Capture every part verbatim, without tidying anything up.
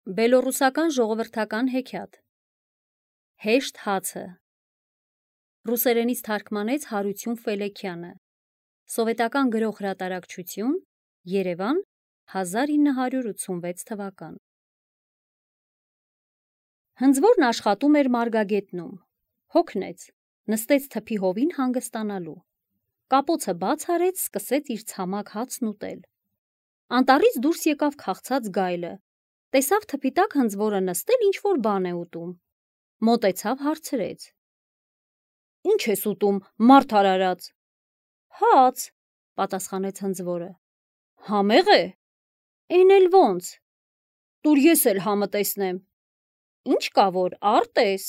Բելոռուսական ժողովրդական հեքիաթ Հեշտ հացը Ռուսերենից թարգմանեց Հարություն Ֆելեքյանը Սովետական գրող հրատարակչություն Երևան հազար ինը հարյուր ութսունվեց թվական Հնձվորն աշխատում էր Մարգագետնում Հոգնեց, նստեց թփի հովին հանգստանալու Կապոցը բաց արեց, սկսեց իր ցամաք հացն ուտել Անտառից դուրս եկավ քաղցած գայլը Տեսավ թփի տակ հնձվորը նստել ինչ-որ բան է ուտում Մոտեցավ հարցրեց Ինչ ես ուտում, մարդ արարած Հաց, պատասխանեց հնձվորը Համեղ է Էն էլ ոնց Տուր ես էլ համը տեսնեմ Ինչ կա որ, արտես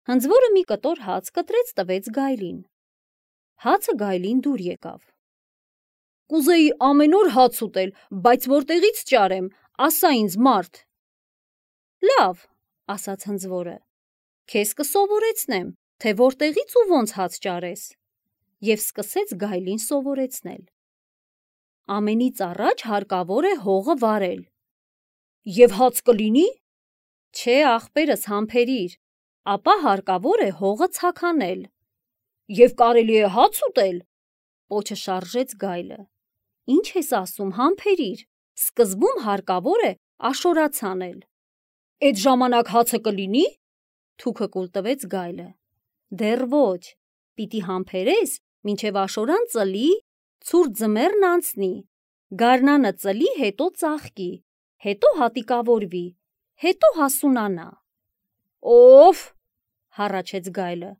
Հնձվորը մի կտոր հաց կտրեց տվեց գայլին Հացը գայլին դուր եկավ Կուզեի ամեն օր հաց ուտել, բայց որտեղից ճարեմ, ասա ինձ մարդ Լավ, ասաց հնձվորը Քեզ կսովորեցնեմ, թե որտեղից ու ոնց հաց ճարես Եվ սկսեց գայլին սովորեցնել Ամենից առաջ հարկավոր է հողը վարել Եվ հաց կլինի Չէ ախպերս համբերիր Ապա հարկավոր է հողը ցաքանել Եվ կարելի է հաց ուտել Պոչը շարժեց գայլը Ինչ ես ասում համբերիր Սկզբում հարկավոր է աշորաց անել Էդ ժամանակ հացը կլինի Թուքը կուլ տվեց գայլը Դեռ ոչ Պիտի համբերես մինչև աշորան ծլի Ցուրտ ձմեռն անցնի Գարնանը ծլի հետո ծաղկի Հետո հատիկավորվի Հետո հասունանա Օֆ հառաչեց գայլը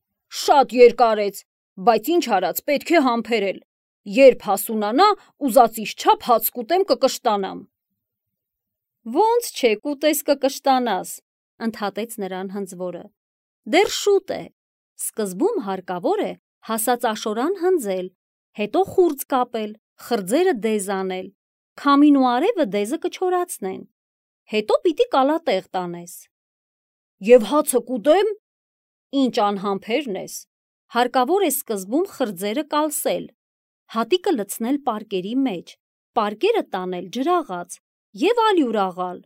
Շատ երկարեց Բայց ինչ արած պետք է համբերել Երբ հասունանա ուզածիս չափ հաց կուտեմ կկշտանամ Ոնց չէ կուտես կկշտանաս ընդհատեց նրան հնձվորը Դեռ շուտ է Սկզբում հարկավոր է հասած աշորան հնձել Հետո խուրձ կապել Խրձերը դեզ անել Քամին ու արևը դեզը կչորացնեն Հետո պիտի կալատեղ տանես Եվ հացը կուտեմ Ինչ անհամբերն ես Հարկավոր է սկզբում խրձերը կալսել Հատիկը լցնել պարկերի մեջ Պարկերը տանել ջրաղաց Եվ ալյուր աղալ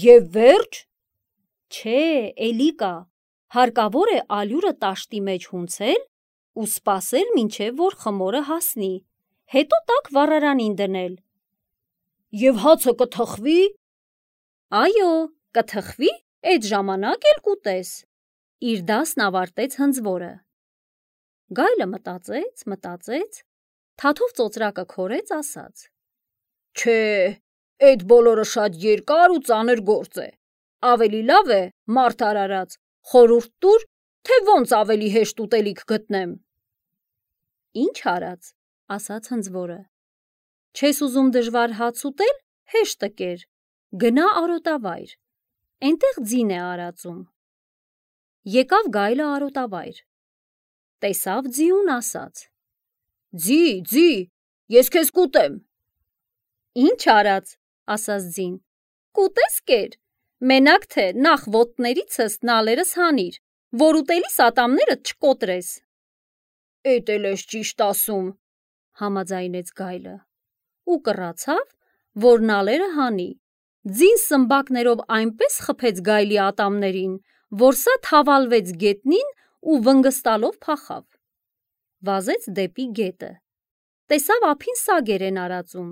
Եվ վերջ Չէ, էլի կա Հարկավոր է ալյուրը տաշտի մեջ հունցել Ու սպասել մինչև որ խմորը հասնի Հետո տաք վառարանին դնել Եվ հացը կթխվի Այո, կթխվի, էդ ժամանակ էլ կուտես Իր դասն ավարտեց հնձվորը Գայլը մտածեց, մտածեց Թաթով ծոծրակը քորեց ասաց Չէ, էդ բոլորը շատ երկար ու ծանր գործ է Ավելի լավ է, մարդ արարած Խորհուրդ տուր, թե ոնց ավելի հեշտ ուտելիք գտնեմ Ինչ արած, ասաց հնձվորը Չես ուզում դժվար հաց ուտել, հեշտը կեր Գնա արոտավայր Էնտեղ ձին է արածում Եկավ գայլը արոտավայր Տեսավ ձիուն ասաց Ձի, ձի, ես քեզ կուտեմ Ինչ արած, ասաց ձին Կուտես կեր Մենակ թե նախ ոտներիցս նալերս հանիր Որ ուտելիս ատամներդ չկոտրես Էդ էլ ես ճիշտ ասում Համաձայնեց գայլը Ու կռացավ, որ նալերը հանի Ձին սմբակներով այնպես խփեց գայլի ատամներին Որ սա թավալվեց գետնին ու վնգստալով փախավ Վազեց դեպի գետը Տեսավ ափին սագեր են արածում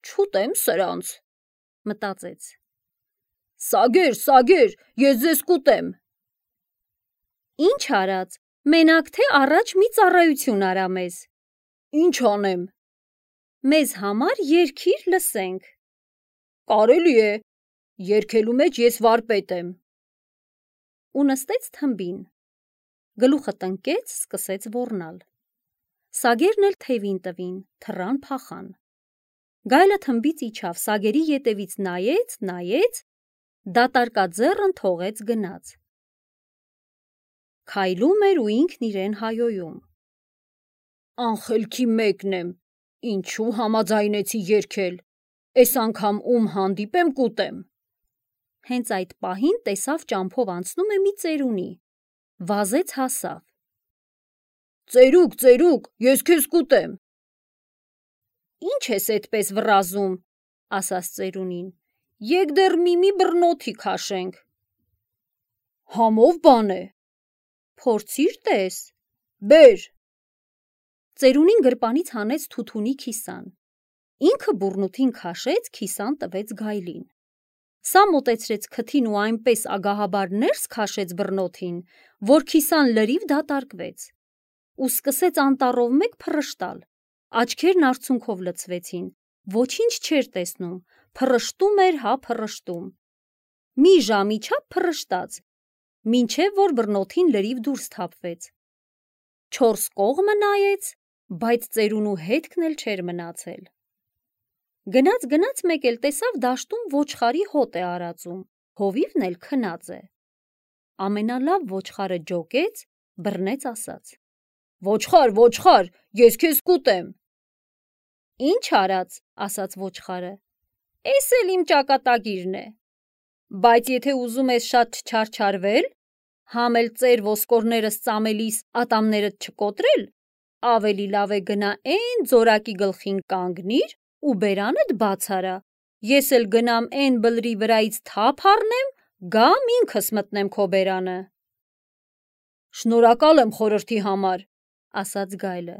Չուտեմ սրանց Մտածեց Սագեր, սագեր, ես ձեզ կուտեմ Ինչ արած, մենակ թե առաջ մի ծառայություն արա մեզ Ինչ անեմ Մեզ համար երգիր լսենք Կարելի է, երգելու մեջ ես վարպետ եմ Ու նստեց թմբին Գլուխը տնկեց, սկսեց ոռնալ Սագերն էլ թևին տվին, թռան փախան Գայլը թմբից իջավ, սագերի ետևից նայեց, նայեց Դատարկաձեռն թողեց գնաց Քայլում էր ու ինքն իրեն հայոյում Անխելքի մեկն եմ, ինչու համաձայնեցի երգել Էս անգամ ում հանդիպեմ կուտեմ Հենց այդ պահին տեսավ ճամփով անցնում է մի ծերունի Վազեց հասավ Ծերուկ, ծերուկ, ես քեզ կուտեմ Ինչ ես էդպես վռազում ասաց ծերունին, եկ դեռ միմի բռնոթի քաշենք։ Համով բան է։ Փորձիր տես, բեր։ Ծերունին գրպանից հանեց թութունի քիսան։ Ինքը բուռնութին քաշեց, քիսան տվեց գայլին։ Սա մոտեցրեց քթին ու այնպես ագահաբար ներս քաշեց բռնոթին, որ քիսան լրիվ դատարկվեց, ու սկսեց անտառով մեկ փռշտալ, աչքերն արցունքով լցվեցին, ոչինչ չէր տեսնում, փռշտում էր, հա փռշտում։ Մի ժամի չափ փռշտաց, մինչև որ բռնոթին լրիվ դուրս թափվեց։ Չորս կողմը նայեց, բայց ծերունու հետքն էլ չէր մնացել։ Գնաց գնաց մեկ էլ տեսավ դաշտում ոչխարի հոտ է արածում, հովիվն էլ քնած է։ Ամենալավ ոչխարը ջոկեց, բռնեց, ասաց. Ոչխար, ոչխար, ես քեզ կուտեմ։ Ինչ արած, ասաց ոչխարը, էս էլ իմ ճակատագիրն է, բայց եթե ուզում ես շատ չչարչարվել, համ էլ ծեր ոսկորներս ծամելիս ատամներդ չկոտրել, ավելի լավ է գնա էն ձորակի գլխին կանգնիր ու բերանդ բաց արա, ես էլ գնամ էն բլրի վրայից թափ առնեմ, գամ ինքս մտնեմ քո բերանը։ Շնորհակալ եմ խորհրդի համար, ասաց գայլը,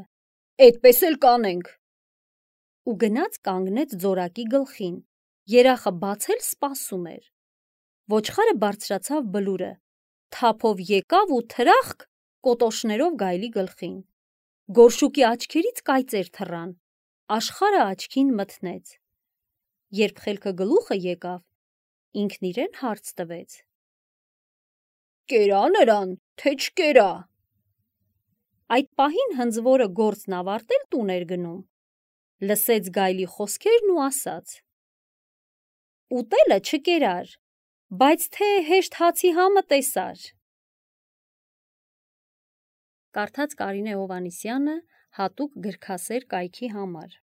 էդպես էլ կանենք։ Ու գնաց կանգնեց ձորակի գլխին, երախը բացել սպասում էր։ Ոչխարը բարձրացավ բլուրը, թափով եկավ ու թրախկ կոտոշներով գայլի գլխին։ Գորշուկի աչքերից կայծեր թռան, աշխարհը աչքին մթնեց։ Երբ խելքը գլուխը եկավ, ինքն իրեն հարց տվեց. Կերա նրան, թե չկերա։ Այդ պահին հնձվորը գործն ավարտել տուն էր գնում, լսեց գայլի խոսքերն ու ասաց. Ուտելը չկերար, բայց թե հեշտ հացի համը տեսար։ Կարդաց Կարինե Հովհաննիսյանը հատուկ գրքասեր կայքի համար։